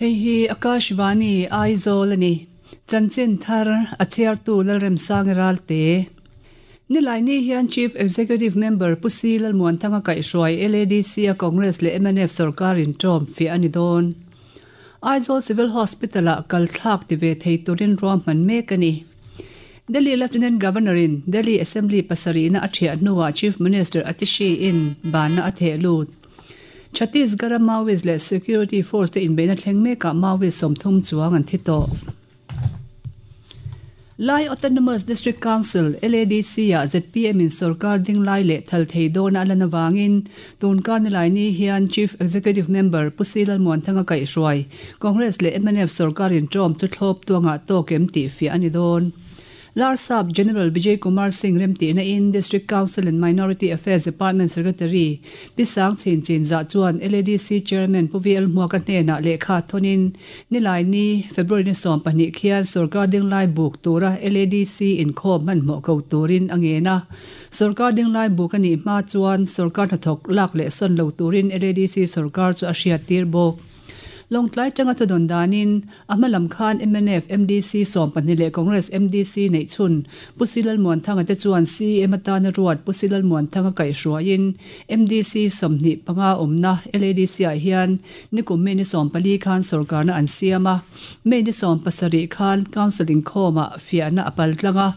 Hei hi Akashvani Aizawl a ni. Chanchin thar a chhiartu Lalremsanga Ralte. Nilaini hian Chief Executive Member Pu Si Lalmuanthanga kaihhruai LADC a Congress leh mnf sorkar in ṭawm fiah a ni dawn. Aizawl Civil Hospital-ah kal thlak ti ve thei turin ruahman mek a ni. Delhi Lieutenant Governor in Delhi Assembly pasarihna a ṭhiah hnuah Chief Minister Atishi in banna a theh lut. Chhattisgarh-a Maoist leh Security Force te inbeihna thleng mekah Maoist 30 chuang an thi tawh. Lai Autonomous District Council, LADC, ah zpm in sorkar ding lai leh thal thei dawna a lan avangin tun kar nilai ni hian Chief Executive Member Pu Si Lalmuanthanga kaihhruai Congress leh mnf sorkar inṭawm chu thlawp tuangah tawk em tih fiah a ni dawn. Larsap General Vijay Kumar Singh remtihna in District Council and Minority Affairs Department Secretary Pi Sang Chin Chin Zah chuan LADC Chairman Pu VL Hmuaka hnenah lehkha thawnin Nilaini, February ni 12 khian sorkar dinglai buk tura LADC inkhawm hmanhmawh ko turin a ngen a. Sorkar dinglai buk a nih hma chuan sorkar hnathawk lak leh sawn lo turin LADC sorkar chu a hriattir bawk. Lawngtlai tanga thudawn danin a hma lam khan mnf MDC 12 leh Congress MDC neih chhun Pu Silalmuanthanga te chuan CM atana ruat Pu Silalmuanthanga kaihhruaiin MDC 25 awmna LADC ah hian nikum May ni 14 khan sorkarna an siam a. May ni 17 khan Council inkhawmah fiahna a pal tlang a.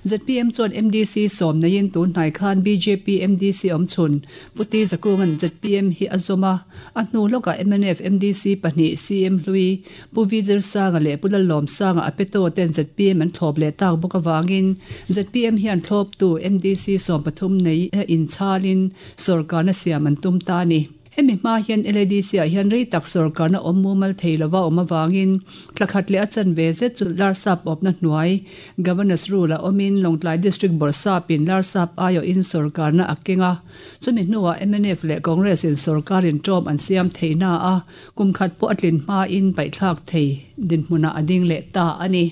Zpm chuan MDC 10 neiin tun hnai khan bjp MDC awm chhun Pu Ti Zakunga'n zpm hi a zawm a, a hnu lawkah mnf MDC pahnih CM Hlui, Pu V Zirsanga leh Pu Lallawmsanga a peto ten zpm an thlawp leh tak bawk avangin zpm hian thlawptu MDC 13 nei inchhalin sorkarna siam an tum ta a ni. Hemi hma hian LADC ah hian rei tak sorkarna awm mumal thei lova awm avangin thla khat leh a chanve zet chu Larsap awpna hnuai Governor's Rule ah awmin Lawngtlai District Bawrhsapin Larsap aiawhin sorkarna a keng a. Chumi hnuah mnf leh Congress in sorkarin ṭawm an siam thei na a, kum khat pawh a tlin hmain paihthlak thei dinhmunah a ding leh ta a ni.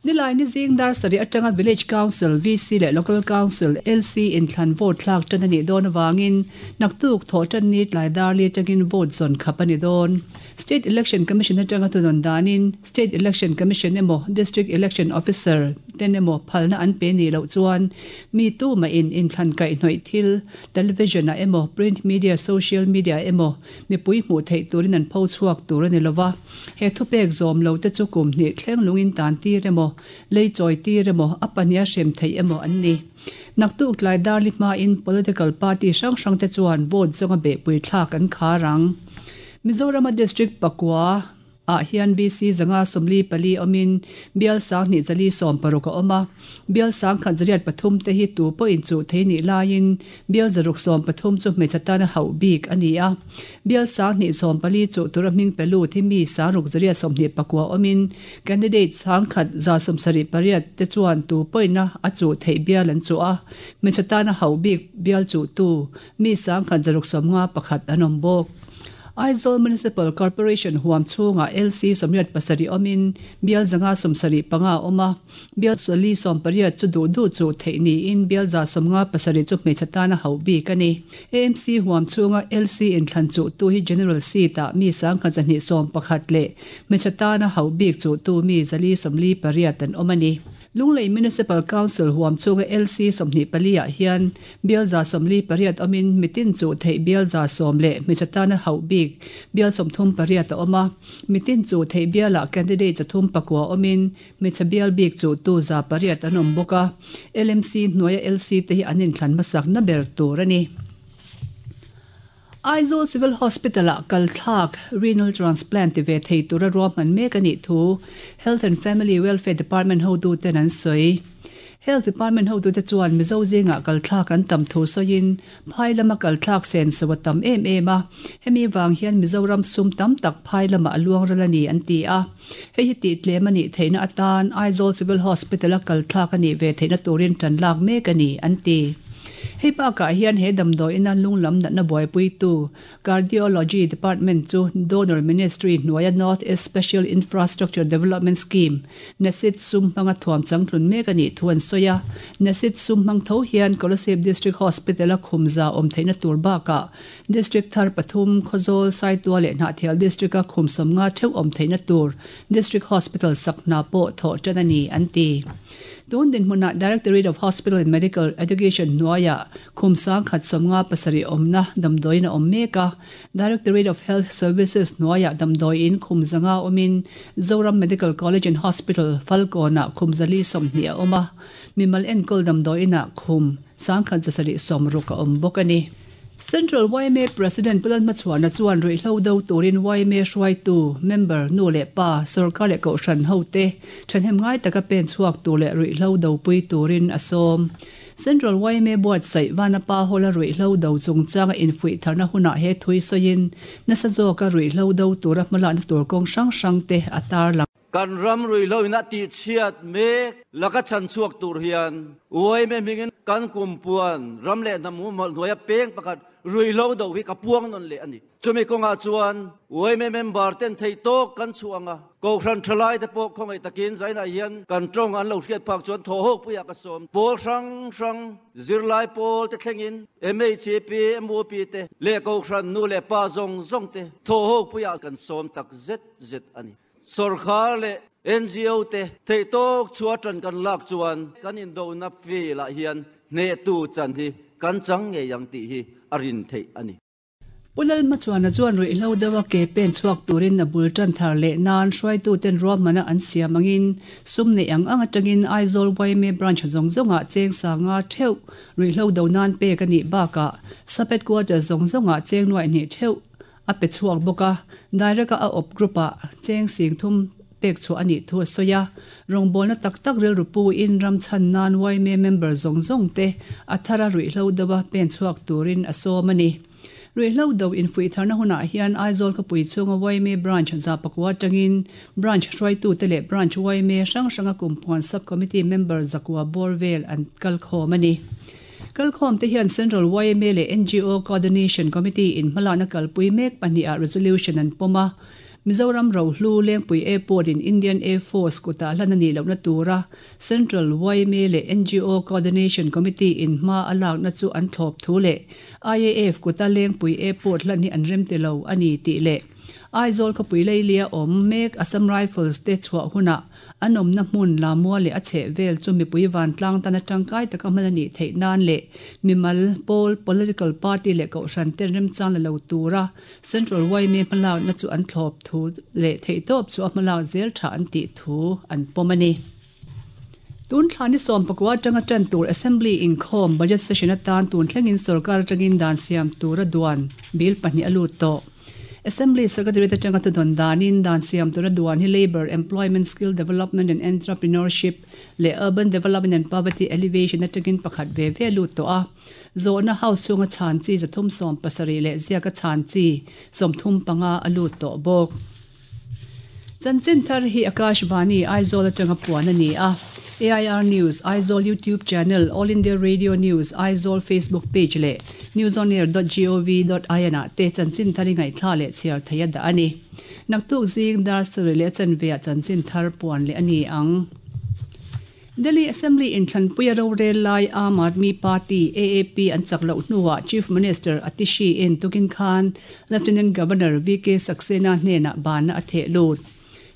Nilaini zing dar sarih atanga Village Council, VC, leh Local Council, LC, inthlan vote thlak tan a nih dawn avangin naktuk thawh tan ni tlai dar li atangin vote zawn khap a ni dawn. State Election Commission atanga thunawn danin State Election Commission emaw District Election Officer ten emaw phalna an pe nih loh chuan mi tumahin inthlan kaihhnawih thil television ah emaw print media, social media ah emaw mipui hmuh theih turin an pho chhuak tur a ni lova. He thupek zawm lo te chu kum hnih thleng lungin tan tir emaw, lei chawi tir emaw, a pahniha hrem theih emaw an ni. Naktuk tlai darli hmain political party hrang hrang te chuan vote zawnga behpui thlak an khar ang. Mizorama district pakua ah hian VC 144 awmin bial 2160 a awm a. Bial 1103 te hi tu pawhin chuh thei nih laiin bial 613 chu hmeichhe tana hauh bik a ni a. Bial 214 chuh tura hming pe lut hi mi 6829 awmin candidate 1178 te chuan tu pawhina a chuh theih bial an chuh a. Hmeichhe tana hauh bik bial chuhtu mi 1651 an awm bawk. Aizawl Municipal Corporation huam chhungah LC 87 awmin bial 175 a awm a, bial 480 chu duh duh chuh theih niin bial 157 chu hmeichhe tana hauh bik a ni. AMC huam chhunga LC inthlan chuhtu hi General Seat-ah mi 1211 leh hmeichhe tana hauh bik chuhtu mi 448 an awm a ni. Lunglei Municipal Council huam chhunga LC 24 ah hian bial 48 awmin mitin chuh theih bial 10 leh hmeichhe tana hauh bik bial 38 a awm a. Mitin chuh theih bialah candidate 309 awmin hmeichhe bial bik chuhtu 800 an awm bawk a. LMC hnuaia LC te hi an inthlan hmasak na ber tur a ni. Aizawl Civil Hospital-ah kal thlak renal transplant ti ve thei tura ruahman mek a nih thu Health and Family Welfare Department hotuten an sawi. Health Department hotute chuan Mizo zingah kal thlak an tam thu sawiin phai lama kal thlak sen so a tam em em a, hemi vang hian Mizoram sum tam tak phai lamah a luang ral a ni an ti a. Hei hi tih tlem a nih theihna atan Aizawl Civil Hospital-a kal thlak a nih ve theihna turin tan lak mek a ni an ti. Hei bakah hian he damdawiina lung lam natna buaipuitu Cardiology Department chu Donor Ministry hnuaia North East Special Infrastructure Development Scheme, NESID, sum hmanga thuam changtlun mek a nih thu an sawi a. NESID sum hmang tho hian Kolasib District Hospital-a khumza awm theihna tur bakah District thar pathum, Khawzawl, Saitua leh Hnahthial District-a khum sawmnga theuh awm theihna tur District Hospital sak hna pawh thawh tan a ni, an ti. Tun dinhmunah Directorate of Hospital and Medical Education hnuaiah khum sangkhat sawmnga pasarih awmna damdawiin a awm mek a. Directorate of Health Services hnuaiah damdawiin khum zanga awmin Zoram Medical College and Hospital, Falkawnah khum zali 20 a awm a. Mimal enkawl damdawiinah khum sangkhat zasarih sawmruk a awm bawk a ni. Central yma President Pu Lalhmachhuana chuan ruihhlo do turin yma hruaitu, member, nu leh pa, sorkar leh kohhran hote thahnem ngai taka pen chhuak tur leh ruihhlo dopui turin a sawm. Central yma buatsaih Vanapa Hall-a ruihhlo do chungchanga infuih tharna hunah he thui sawiin nasa zawka ruihhlo do tura hmalakna tur kawng hrang hrangte a tarlang. Kan ram ruihhlo in a tihchhiat mek laka chhan chhuak tur hian yma hmingin kan kumpuan ram leh hnam humhalh hnuaia peng pakhat ruihhlo do hi ka puang nawn leh a ni. Chumi kawngah chuan yma member ten theih tawk kan chhuah ang a, Kohhran thalai te pawh khawngaih takin zainah hian kan tawng an lo hriat phak chuan thaw ho puiah ka sawm. Pawl hrang hrang, zirlai pawl te thlengin MHP, MUP te leh Kohhran nu leh pa zawng zawng te thaw ho puiah kan sawm tak zet zet a ni. Sawrkhar leh NGO te theihtawk chhuah tan kan lak chuan kan indona field ah hian hnehtu chan hi kan chang ngei ang tih hi a rin theih a ni. Pu Lalhmachhuana chuan ruihhlo deuha ke pen chhuak turin a bul tan thar leh nan hruaituten ruahmana an siam angin sum neih ang ang atangin Aizawl yma branch zawng zawngah cheng sanga theuh ruihhlo do nan pek a nih bakah Sub Headquarters zawng zawngah cheng nuaih hnih theuh a pe chhuak bawk a, Direct-a a awp group-ah cheng sing thum pek chhuah a nih thu a sawi a. Rawngbawlna tak tak rilru puin ram chhan nan yma member zawng zawng te a thara ruihhlo deuha pen chhuak turin a sawm a ni. Ruihhlo do infuih tharna hunah hian Aizawl khawpui chhunga yma branch zapakua atangin branch hruaitute leh branch yma hrang hranga kumpuan sub-committee member zakua bawr vel an kalkhawm a ni. Kalkhawmte hian Central yma leh ngo Coordination Committee in hmalakna kalpui mek pahniha resolution an pawm a, Mizoram Rohlu Lengpui Airport in Indian Air Force kutah hlan a nih lohna tura Central yma leh ngo Coordination Committee in hma a lakna chu an thlawp thu leh IAF kuta Lengpui Airport hlan hi an remti lo a ni tih leh Aizawl khawpui leilia awm mek Assam Rifles te chhuah hunah An awmna hmun Lamua leh a chheh vel chu mipui vantlang tana tangkai taka hman a nih theih nan leh mimal, pawl, political party leh kohhran ten remchang la lo tura Central yma hmalakna chu an thlawp thu leh theihtawp chu a hmalak zel tha an tih thu an pawm a ni. Tun thla ni sawmpakua atanga tan tur Assembly inkhawm Budget Session atan tun thlengin sorkar atangin dan siam tura duan bill pahnih a lut tawh. Assembly Secretary te atanga thudawn danin dan siam tura duan hi Labour, Employment, Skill Development and Entrepreneurship leh Urban Development and Poverty Alleviation atangin pakhat ve ve lut tawh a. Zawhna House chhunga chhan chi 370 leh ziaka chhan chi 35 a lut tawh bawk. Chanchin thar hi Akashvani, Aizawl atanga puan a ni a. AIR News, Aizawl YouTube Channel, All India Radio News, Aizawl Facebook Page leh newsonair.gov.in ah te chanchin thar i ngaihthla leh chhiar thei a dah a ni. Naktuk zing dar sarih leh a chanve ah chanchin thar puan leh a ni ang. Delhi Assembly inthlanpuia rorel lai Aam Aadmi Party, AAP, an chak loh hnuah Chief Minister Atishi in tukin khan Lieutenant Governor VK Saxena hnenah banna a theh lut.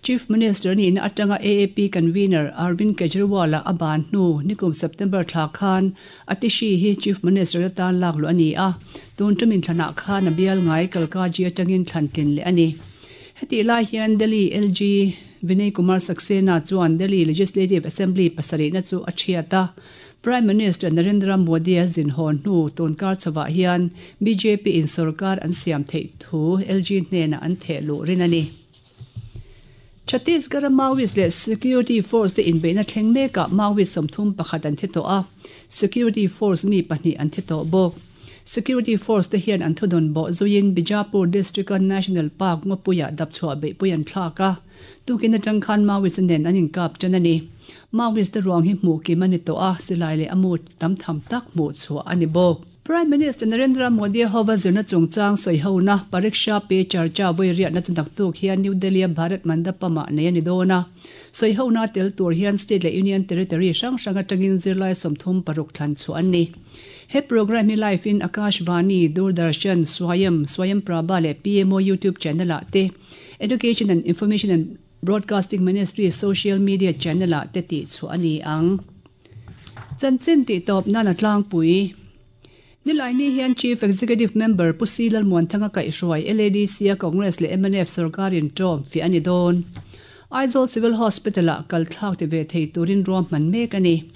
Chief Minister nihna atanga AAP Convener Arvind Kejriwal-a a ban hnu nikum September thla khan Atishi hi Chief Minister atan lak luh a ni a, tun tum inthlanah khan a bial ngai Kalkaji atangin thlan tlin leh a ni. Hetih lai hian Delhi LG Vinay Kumar Saxena chuan Delhi Legislative Assembly pasarihna chu a thiat a. Prime Minister Narendra Modi-a zin haw hnu tunkar chhovah hian bjp in sorkar an siam theih thu LG hnenah an theh luh rin a ni. Chhattisgarh-a Maoist leh Security Force te inbeihna thleng mekah Maoist 31 an thi tawh a, Security Force mi pahnih an thi tawh bawk. Security force te hian an thudawn bawh zuiin Bijapur district-a National Park ngawpuiah dapchhuah beihpui an thlak a, tukin atang khan Maoist nen an inkap tan a ni. Maoist te ruang hi hmuh kim a ni tawh a, silai leh a mu tam tham tak hmuh chhuah a ni bawk. Prime Minister Narendra Modi hova zirna chungchang sawihona Pariksha Pe Charcha vawi riatna chu naktuk hian New Delhi-a Bharat Mandapam-ah nei a ni dawn a. Sawihona tel tur hian state leh union territory hrang hrang atangin zirlai 36 thlan chhuah an ni. He programme hi live in Akashvani, Doordarshan, Swayam, Swayam Prabha leh PMO YouTube channel-ah te, Education and Information and Broadcasting Ministry social media channel-ah te tih chhuah a ni ang. Chanchin tih tawp nan a tlangpui. Nilaini hian Chief Executive Member Pu Si Lalmuanthanga kaihhruai LADC-a Congress leh mnf sorkarin ṭawm fiah a ni dawn. Aizawl Civil Hospital-ah kal thlak ti ve thei turin ruahman mek a ni.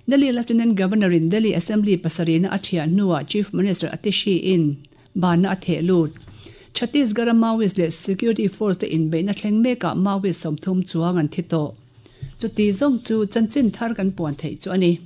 Delhi Lieutenant Governor-in Delhi Assembly pasarihna a ṭhiah hnuah Chief Minister Atishi-in banna a theh lut. Chhattisgarh-a Maoist leh Security Force-te inbeihna thleng mekah Maoist 30 chuang an thi tawh. Chuti zawng chu chanchin thar kan puan theih chu a ni.